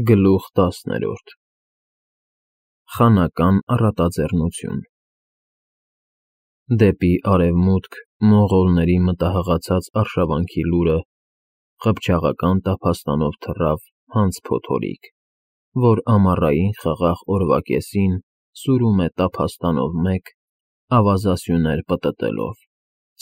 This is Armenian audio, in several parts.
Գլուխ 10 Խանական առատաձեռնություն Դեպի արևմուտք մոնղոլների մտահղացած արշավանքի լուրը խփճաղական տափաստանով թռավ հանց փոթորիկ, որ ամառային խաղաղ օրվա կեսին սուրում է տափաստանով մեկ, ավազասյուներ պտտելով,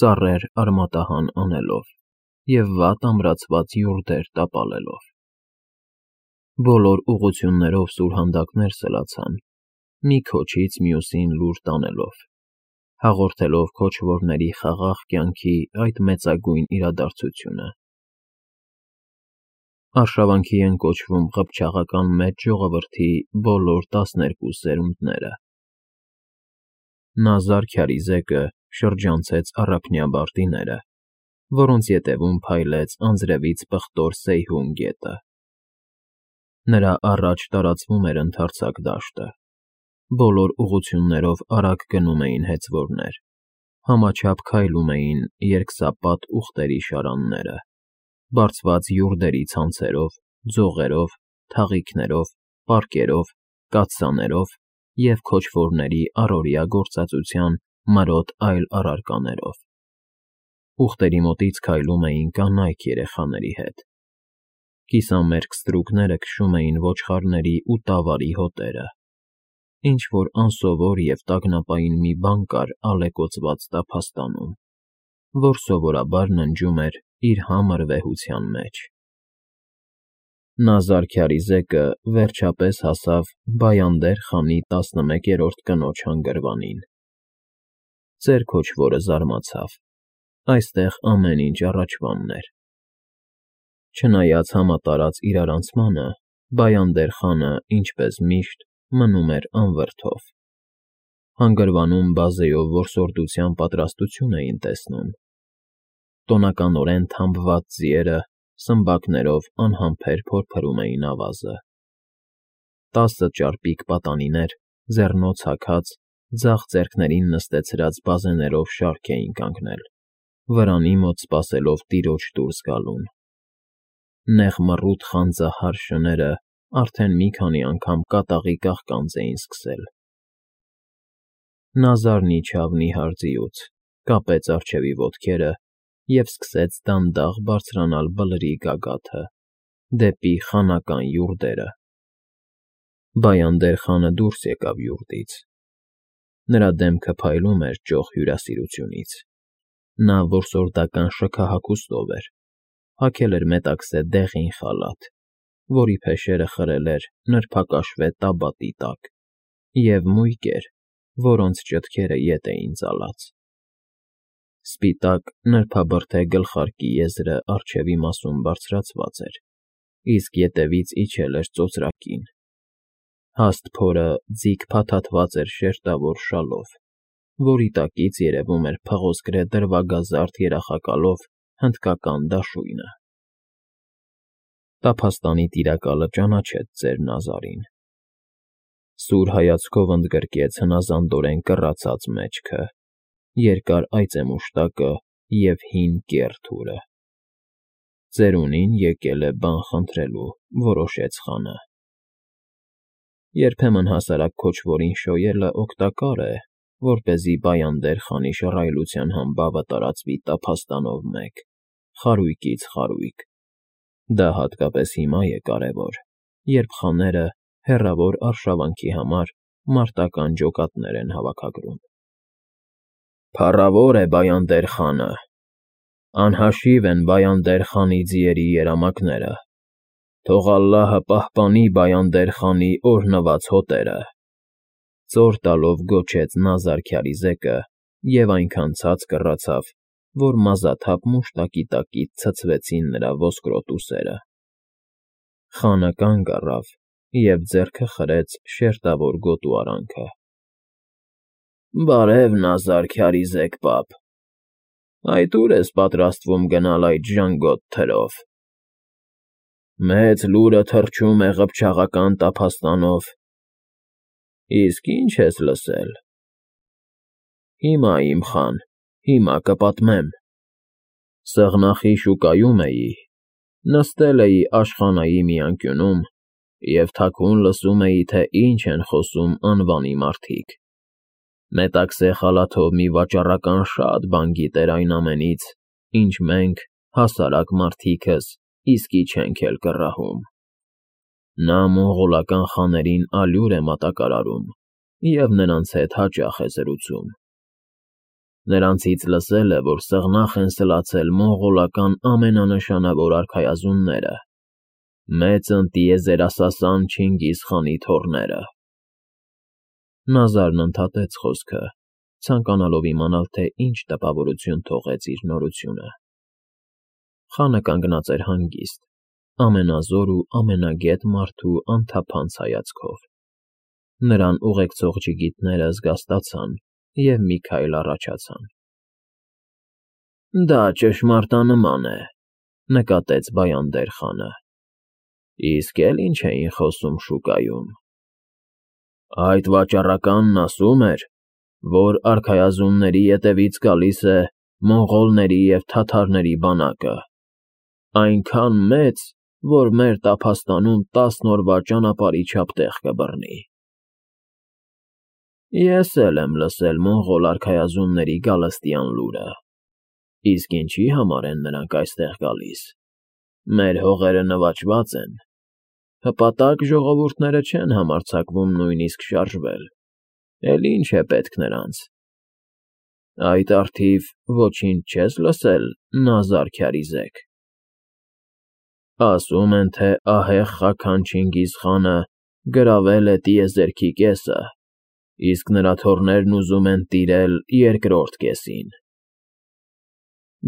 ծառեր արմատահան անելով և վատ ամրացված յուրդեր տապալելով։ Բոլոր ուղղություններով սուրհանդակներ սլացան, մի քոչից մյուսին լուր տանելով, հաղորդելով քոչվորների խաղաղ կյանքի այդ մեծագույն իրադարձությունը։ Արշավանքի են կոչվում ղփչաղական մեծ ժողովրդի բոլոր 12 սերունդները։ Նազար Քյարիզեկը շրջանցեց առափնյա բարտիները, որոնց ետևում փայլեց անձրևից պղտոր Սեյհուն գետը։ Նրա առաջ տարածվում էր ընդարձակ դաշտը, բոլոր ուղղություններով արագ գնում էին հեծվորներ, համաչափ քայլում էին երկսապատ ուղտերի շարանները, բարձված յուրդերի ցանցերով, ձողերով, թաղիքներով, պարկերով, կաթսաներով և քոչվորների առօրյա գործածության մրոտ այլ առարկաներով։ Ուղտերի մոտից քայլում էին կանայք երեխաների հետ։ Կիսամերկ ստրուկները քշում էին ոչխարների ու տավարի հոտերը, ինչ-որ անսովոր և տագնապային մի բան կար ալեկոծված տափաստանում, որ սովորաբար ննջում էր իր համր վեհության մեջ։ Նազար Քյարիզեկը վերջապես հասավ Բայանդեր խանի 11-րդ կնոջ հանգրվանին։ Ծեր քոչվորը զարմացավ, այստեղ ամեն ինչ առաջվանն էր։ Չնայած համատարած իրարանցմանը, Բայանդեր խանը, ինչպես միշտ, մնում էր անվրդով։ Հանգրվանում բազեով որսորդության պատրաստություն էին տեսնում։ Տոնականորեն թամբված ձիերը սմբակներով անհամբեր փորփրում էին ավազը։ 10 ճարպիկ պատանիներ, ձեռնոց հագած, ձախ ձեռքներին նստեցրած բազեներով շարք էին կանգնել, վրանի մոտ սպասելով տիրոջ դուրս գալուն։ Նեղ մռութ խանձահար շները արդեն մի քանի անգամ կատաղի կաղկանց էին սկսել։ Նազարն իջավ նիհար ձիուց, կապեց առջևի ոտքերը և սկսեց դանդաղ բարձրանալ Բլրի գագաթը, դեպի խանական յուրդերը։ Բայանդեր խանը դուրս եկավ յուրդից։ Նրա դեմքը փայլում էր ճոխ հյուրասիրությունից։ Նա որսորդական շքահագուստով էր, հագել էր մետաքսե դեղին խալաթ, որի փեշերը խրել էր նրբակաշվե տաբատի տակ, և մույկեր, որոնց ճտքերը ետ էին ծալած։ Սպիտակ նրբաբրդե գլխարկի եզրը առջևի մասում բարձրացված էր, իսկ ետևից իջել էր ծոծրակին։ Հաստ փորը ձիգ փաթաթված էր շերտավոր շալով, որի տակից երևում էր փղոսկրե դրվագազարդ երախակալով հնդկական դաշույնը։ Տափաստանի տիրակալը ճանաչեց ծեր Նազարին։ Սուր հայացքով ընդգրկեց հնազանդորեն կռացած մեջքը, երկար այծեմուշտակը և հին կեռ թուրը։ Ծերունին եկել է բան խնդրելու, որոշեց խանը։ Երբեմն հասարակ քոչվորին շոյելը օգտակար է, որպեսզի Բայանդեր խանի շռայլության համբավը տարածվի տափաստանով մեկ, խարույկից խարույկ։ Դա հատկապես հիմա է կարևոր, երբ խաները հեռավոր արշավանքի համար մարտական ջոկատներ են հավաքագրում։ Փառավոր է Բայանդեր խանը, անհաշիվ են Բայանդեր խանի ձիերի երամակները, թող ալլահը պահպանի Բայանդեր խանի օրհնված հոտերը, ծոր տալով գոչեց Նազար Քյարիզեկը և այնքան ցած կռացավ, որ մազաթափ մուշտակի տակից ցցվեցին նրա ոսկրոտ ուսերը։ Խանը կանգ առավ և ձեռքը խրեց շերտավոր գոտու արանքը։ Բարև, Նազար Քյարիզեկ պապ, այդ ո՞ւր ես պատրաստվում գնալ այդ ժանգոտ թրով։ Մեծ լուրը թռչում է ղփչաղական տափաստանով։ Իսկ ի՞նչ ես լսել։ Հիմա, իմ խան, հիմա կպատմեմ։ Սեղնախի շուկայում էի, նստել էի աշխանայի մի անկյունում Եվ թաքուն լսում էի, թե ինչ են խոսում անվանի մարդիկ։ Մետաքսե խալաթով մի վաճառական շատ բան գիտեր այն ամենից, ինչ մենք, հասարակ մարդիկս, իսկի չենք էլ կռահում։ Նա մոնղոլական խաներին ալյուր է մատակարարում և նրանց հետ հաճախ է զրուցում։ Նրանցից լսել է, որ սեղնախ են սլացել մոնղոլական ամենանշանավոր արքայազունները, մեծ ընտիեզերասասան Չինգիզ խանի թոռները։ Նազարն ընդհատեց խոսքը, ցանկանալով իմանալ, թե ինչ տպավորություն թողեց իր նորությունը։ Խանը կանգնած էր հանգիստ, ամենազոր ու ամենագետ մարդու անթափանց հայացքով։ Նրան ուղեկցող ջիգիտները զգաստացան և մի քայլ առաջացան։ Դա ճշմարտանման է, նկատեց Բայանդեր խանը։ Իսկ էլ ինչ էին խոսում շուկայում։ Այդ վաճառականն ասում էր, որ արքայազունների ետևից գալիս է մոնղոլների և թաթարների բանակը, այնքան մեծ, որ մեր տափաստանում 10 օրվա ճանապարհի չափ տեղ կբռնի։ Ես էլ եմ լսել մոնղոլ արքայազունների գալստյան լուրը։ Իսկ ինչի համար են նրանք այստեղ գալիս։ Մեր հողերը նվաճված են։ Հպատակ ժողովուրդները չեն համարձակվում նույնիսկ շարժվել։ Էլ ինչ է պետք նրանց։ Այդ առթիվ ոչինչ չես լսել Նազար Քյարիզեկ։ Ասում են, թե ահեղ Խաքան Չինգիզ խանը գրավել է տիեզերքի կեսը, իսկ նրա թոռներն ուզում են տիրել երկրորդ կեսին։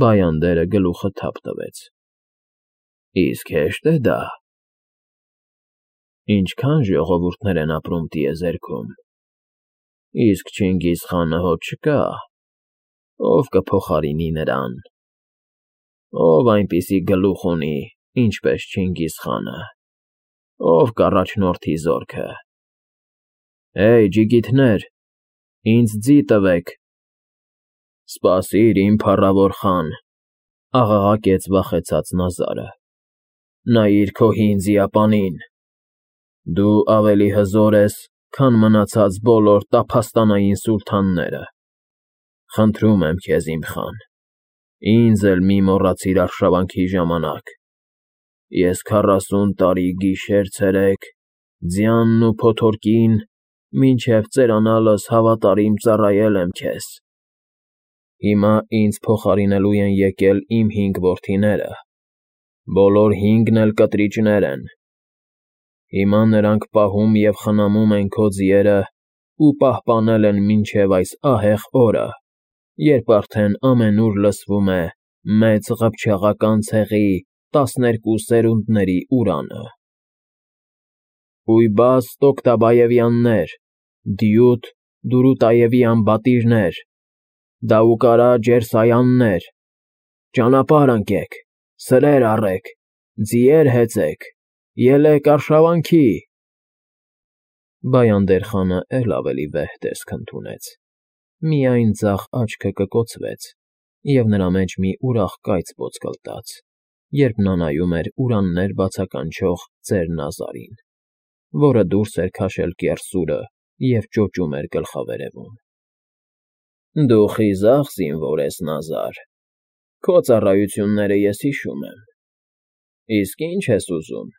Բայանդերը գլուխը թափ տվեց։ Իսկ հեշտ է դա։ Ինչքան ժողովուրդներ են ապրում տիեզերքում։ Իսկ Չինգիզ խանը հո չկա։ Ով կփոխարինի նրան։ Ով այնպիսի գլուխ ունի, ինչպես Չինգիզ խանը։ Ով կառաջնորդի զորքը։ Հեյ, ջիգիթներ, ինձ ձի տվեք։ Սպասիր, իմ փառավոր խան, աղաղակեց վախեցած Նազարը։ Նայիր քո հին ձիապանին։ Դու ավելի հզոր ես, քան մնացած բոլոր տափաստանային սուլթանները։ Խնդրում եմ քեզ, իմ խան, ինձ էլ մի մոռացիր արշավանքի ժամանակ։ Ես 40 տարի գիշեր֊ցերեկ, ձյանն ու փոթորկին, մինչև ծերանալս հավատարիմ ծառայել եմ քեզ։ Հիմա ինձ փոխարինելու են եկել իմ 5 որդիները, բոլոր 5-ն էլ կտրիճներ են։ Հիմա նրանք պահում և խնամում են քո ձիերը ու պահպանել են մինչև այս ահեղ օրը, երբ արդեն ամենուր լսվում է մեծ ղփչաղական ցեղի 12 սերունդների ուրանը։ Ույբաս Տոկտաբաևյաններ, Դյուտ Դուրուտաևյան բատիրներ, Դաուկարա Ջերսայաններ, ճանապարհ ընկեք, սրեր առեք, ձիեր հեծեք, ելեք արշավանքի։ Բայանդեր խանը էլ ավելի վեհ տեսք ընդունեց։ Միայն ձախ աչքը կկոցվեց, և նրա մեջ մի ուրախ կայծ ոտկլտաց, երբ նա նայում էր ուրաններ բացականչող ծեր Նազարին, որը դուրս էր քաշել կեռսուրը և ճոճում էր գլխավերևում։ Դու խիզախ զինվոր ես, Նազար, քո ծառայությունները ես հիշում եմ։ Իսկ ի՞նչ ես ուզում։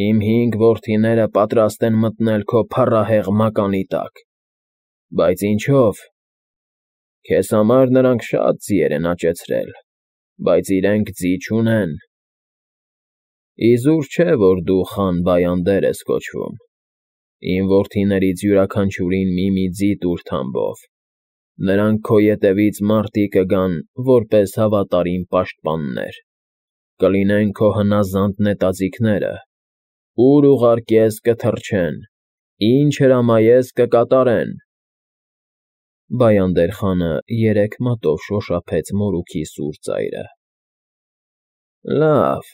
Իմ 5 որդիները պատրաստ են մտնել քո փառահեղ մականի տակ։ Բայց ինչո՞վ։ Քեզ համար նրանք շատ ձիեր են աճեցրել, բայց իրենք ձի չունեն։ Իզուր չէ, որ դու խան Բայանդեր ես կոչվում։ Իմ որդիներից յուրաքանչյուրին մի ձի տուր թամբով։ Նրանք քո ետևից մարտի կգան որպես հավատարիմ պաշտպաններ։ Կլինեն քո հնազանդ նետաձիգները։ Ուր ուղարկես կթռչեն, ինչ հրամայես կկատարեն։ Բայանդեր խանը 3 մատով շոշափեց մորուքի սուր ծայրը։ Լավ,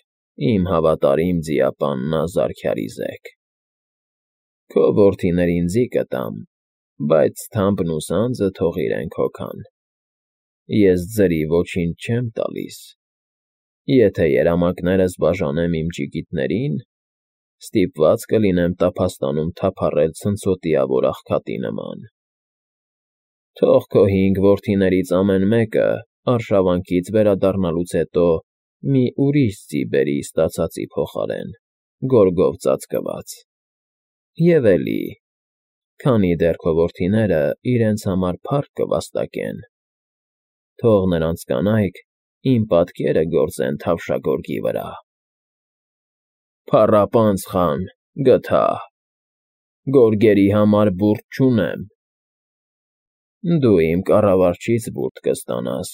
իմ հավատարիմ ձիապան Նազար Քյարիզեկ։ Քո որդիներին ձի կտամ, բայց թամբն ու սանձը թող իրենք հոգան։ Ես ձրի ոչինչ չեմ տալիս։ Եթե երամակներս բաժանեմ իմ ջիգիտներին, Ստիպված կլինեմ տափաստանում թափառել ցնցոտիավոր աղքատի նման։ Թող քո 5 որդիներից ամեն մեկը արշավանքից վերադառնալուց հետո մի ուրիշ ձի բերի ստացածի փոխարեն, գորգով ծածկված։ Եվ էլի, քանի դեռ քո որդիները իրենց համար փառք կվաստակեն, թող նրանց կանայք իմ պատկերը գործեն թավշագորգի վրա։ Փառապանց խան, գթա, գորգերի համար բուրդ չունեմ։ Դու իմ կառավարչից բուրդ կստանաս,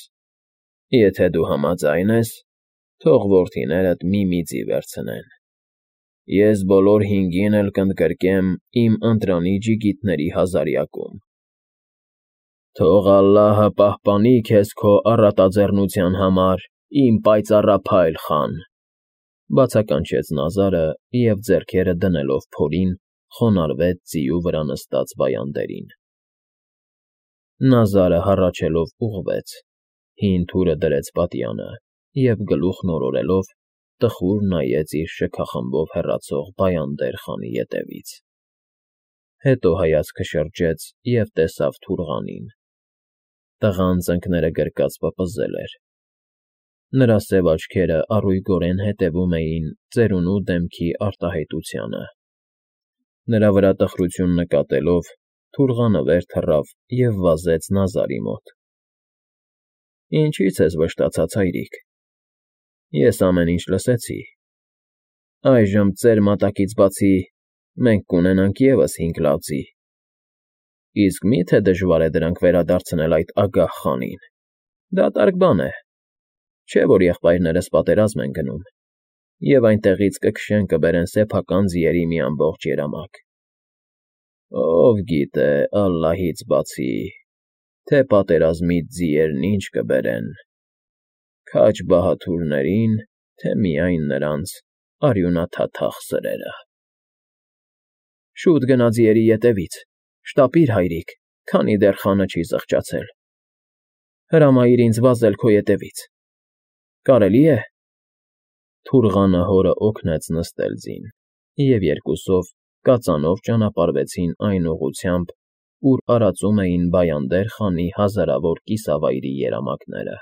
եթե դու համաձայն ես, թող որդիներդ մի ձի վերցնեն։ Ես բոլոր 5-ին էլ կընդգրկեմ իմ ընտրանի ջիգիտների հազարյակում։ Թող ալլահը պահպանի քեզ քո առատաձեռնության համար, իմ պայծառափայլ խան, բացականչեց Նազարը և ձեռքերը դնելով փորին խոնարհվեց ձիու վրա նստած վայանդերին։ Նազարը հառաչելով ուղղվեց, հին թուրը դրեց պատյանը և գլուխն օրորելով տխուր նայեց իր շքախմբով հեռացող Բայանդեր խանի ետևից։ Հետո հայացքը շրջեց և տեսավ Թուրղանին։ Տղան ծնկները գրկած պպզել էր։ Նրա սև աչքերը առույգորեն հետևում էին ծերունու դեմքի արտահայտությանը։ Նրա վրա տխրություն նկատելով, Թուրղանը վեր թռավ և վազեց Նազարի մոտ։ Ինչի՞ց ես վշտացած, հայրիկ։ Ես ամեն ինչ լսեցի։ Այժմ ծեր մատակից բացի մենք կունենանք ևս 5 լավ ձի։ Իսկ մի՞թե դժվար է դրանք վերադարձնել այդ ագահ խանին։ Դատարկ բան է, չէ՞ որ եղբայրներս պատերազմ են գնում, և այնտեղից կքշեն կբերեն սեփական ձիերի մի ամբողջ երամակ։ Ով գիտե, ալլահից բացի, թե պատերազմից ձիերն ինչ կբերեն, քաջ բահադուրներին, թե միայն նրանց արյունաթաթախ սրերը։ Շուտ գնա ձիերի ետևից, շտապիր, հայրիկ, քանի դեռ խանը չի զղջացել։ Հրամայիր ինձ վազել քո ետևից։ Կարելի՞ է։ Թուրղանը հորը օգնեց նստել ձին, և երկուսով կածանով ճանապարհվեցին այն ուղղությամբ, ուր արածում էին Բայանդեր խանի հազարավոր կիսավայրի երամակները։